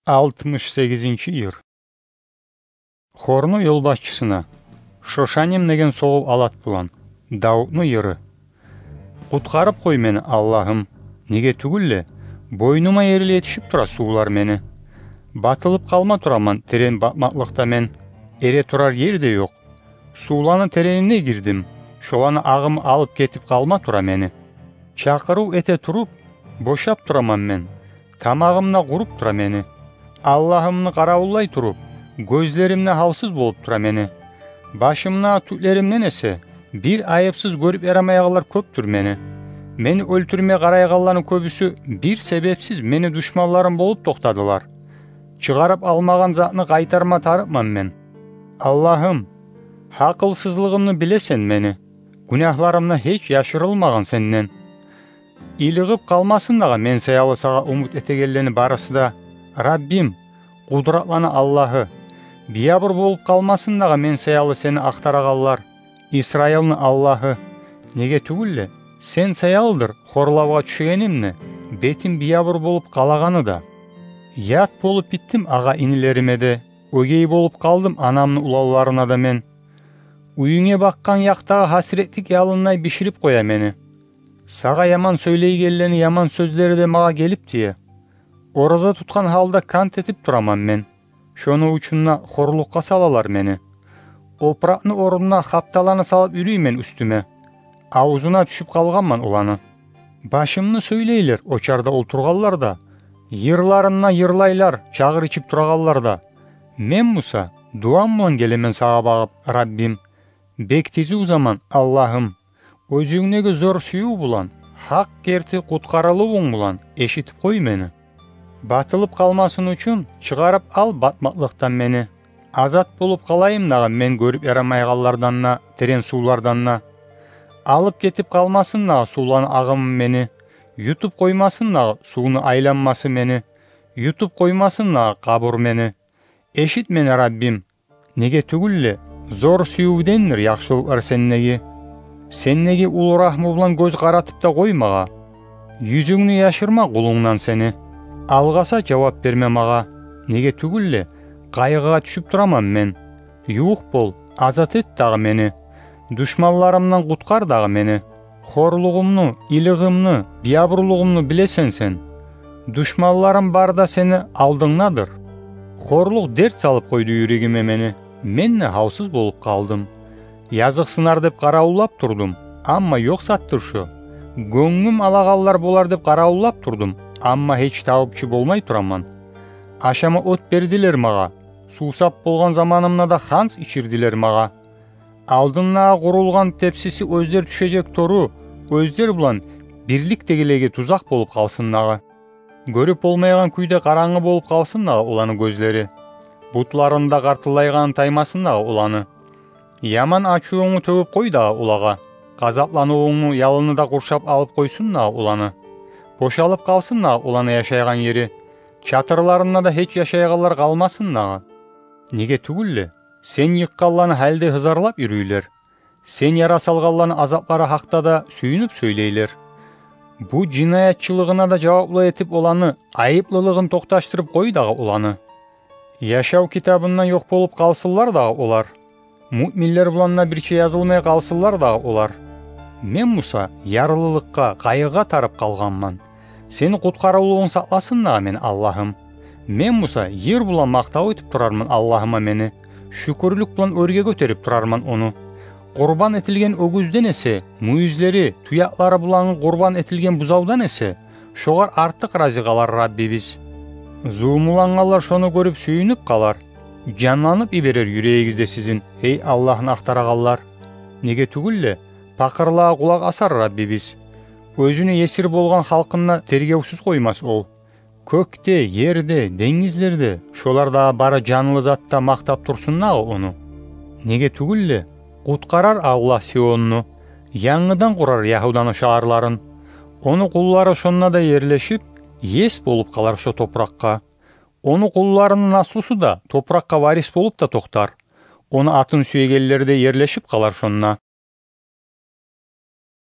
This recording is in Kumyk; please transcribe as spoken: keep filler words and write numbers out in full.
Алтмыш сегизинчи йыр. Хорну ёлбашчысына. Шошаним деген согъув алат булан. Давутну йыры. Къутгъарып къой мени, Аллагьым, неге тюгюл де, бойнума ерли етишип тура сувлар мени. Батылып къалма тураман терен батмакълыкъда мен. Эре турар ер де ёкъ. Сувланы теренине гирдим, шоланы агъымы алып гетип къалма тура мени. Чакъырыв эте туруп, бошап тураман мен. Тамагъым да къуруп тура мени. Аллагьымны къаравуллай туруп, гёзлерим де гьалсыз болуп тура мени. Башымны тюклеримден эсе бир айыпсыз гёрюп ярамайгъанлар кёпдюр мени. Мени оьлтюрме къарайгъанланы кёбюсю бир себепсиз мени душманларым болуп токътадылар. Чыгъарып алмагъан затны къайтарма тарыкъман мен. Аллагьым, гьакъылсызлыгъымны билесен мени. Гюнагьларым да гьеч яшырылмагъан сенден. Илигъип къалмасын дагъы мен саялы сагъа умут этегенлени барысы да, Раббим, къудратланы Аллагьы. Биябур болуп къалмасын дагъы мен саялы сени ахтарагъанлар, Исраилни Аллагьы. Неге тюгюл де, сен саялыдыр хорлавгъа тюшегеним де, бетим биябур болуп къалагъаны да. Ят болуп битдим агъа-инилериме де, оьгей болуп къалдым анамны уланларына да мен. Уьюнге бакъгъан якъдагъы гьасиретлик ялындай биширип къоя мени. Сагъа яман сёйлейгенлени яман сёзлери де магъа гелип тие. Ораза тутгъан гьалда кант этип тураман мен. Шону учун да хорлукъгъа салалар мени. Опуракъны орнуна хапталаны салып юрюймен уьстюме. Авзуна тюшюп къалгъанман оланы. Башымны сёйлейлер очарда олтургъанлар да, йырларын да йырлайлар чагъыр ичип турагъанлар да. Мен буса дуам булан гелемен сагъа багъып, Раббим. Бек тизив заман, Аллагьым. Оьзюнгдеги зор сююв булан, гьакъ герти къутгъарылывунг булан эшитип къой мени. Батылып къалмасын учун чыгъарып ал батмакълыкъдан мени. Азат болуп къалайым дагъы мен гёрюп ярамайгъанлардан да, терен сувлардан да. Алып гетип къалмасын дагъы сувланы агъымы мени. Ютуп къоймасын дагъы сувну айланмасы мени. Ютуп къоймасын дагъы къабур мени. Эшит мени, Раббим. Неге тюгюл де, зор сюювдендир яхшылыкълар сендеги. Сендеги уллу рагьму булан гёз къаратып да къой магъа. Юзюнгню яшырма къулунгдан сени. Алгъаса жавап берме магъа. Неге тюгюл де, къайгъыгъа тюшюп тураман мен. Ювукъ бол, азат эт дагъы мени. Душманларымдан къутгъар дагъы мени. Хорлугъумну, илигъимни, биябурлугъумну билесен сен. Душманларым бары да сени алдынгдадыр. Хорлукъ дерт салып къойду юрегиме мени. Мен де гьалсыз болуп къалдым. Языкъсынар деп къаравуллап турдум, амма ёкъ затдыр шо. Гёнгюм алагъанлар болар деп къаравуллап турдум, амма гьеч табыпчы болмай тураман. Ашама от бердилер магъа. Сувсап болгъан заманымда да ханс ичирдилер магъа. Алдындагъы къурулгъан тепсиси оьзлер тюшежек тору, оьзлер булан бирликдегилеге тузакъ болуп къалсын дагъы. Гёрюп болмайгъан кюйде къарангы болуп къалсын дагъы оланы гёзлери. Бутларында къартыллайгъаны таймасын дагъы оланы. Яман ачувунгну тёгюп къой дагъы олагъа. Къазапланывунгну ялыны да къуршап алып къойсун дагъы оланы. Бошалып къалсын дагъы оланы яшайгъан ери. Чатырларында да гьеч яшайгъанлар къалмасын дагъы. Неге тюгюл де, сен йыкъгъанланы гьали де гьызарлап юрюйлер. Сен яра салгъанланы азаплары гьакъда да сююнюп сёйлейлер. Бу жинаятчылыгъына да жаваплы этип оланы, айыплылыгъын токъташдырып къой дагъы оланы. Яшав китабындан ёкъ болуп къалсынлар дагъы олар. Муъминлер булан да бирче язылмай къалсынлар дагъы олар. Мен буса ярлылыкъгъа, къайгъыгъа тарып къалгъанман. Сени къутгъарывлугъунг сакъласын дагъы мени, Аллагьым. Мен буса йыр булан макътав этип турарман Аллагьыма мени, шюкюрлюк булан оьрге гётерип турарман ону. Къурбан этилген оьгюзден эсе мюйюзлери, туякълары булангъы къурбан этилген бузавдан эсе, шогъар артыкъ рази къалар Раббибиз. Зулмулангъанлар шону гёрюп сююнюп къалар. Жанланып йиберер юрегигиз де сизин, гьей Аллагьны ахтарагъанлар. Неге тюгюл де, пакъырлагъа къулакъ асар Раббибиз. Оьзюню есир болгъан халкъын да тергевсюз къоймас ол. Кёкде, ерде, денгизлерде, шолар дагъы бары жанлы зат да макътап турсун дагъы ону. Неге тюгюл де, къутгъарар Аллагь Сионну, янгыдан къурар Ягьуданы шагьарларын. Ону къуллары шонда да ерлешип, ес болуп къалар шо топуракъгъа. Ону къулларыны наслусу да топуракъгъа варис болуп да токътар. Ону атын сюегенлер де ерлешип къалар шонда.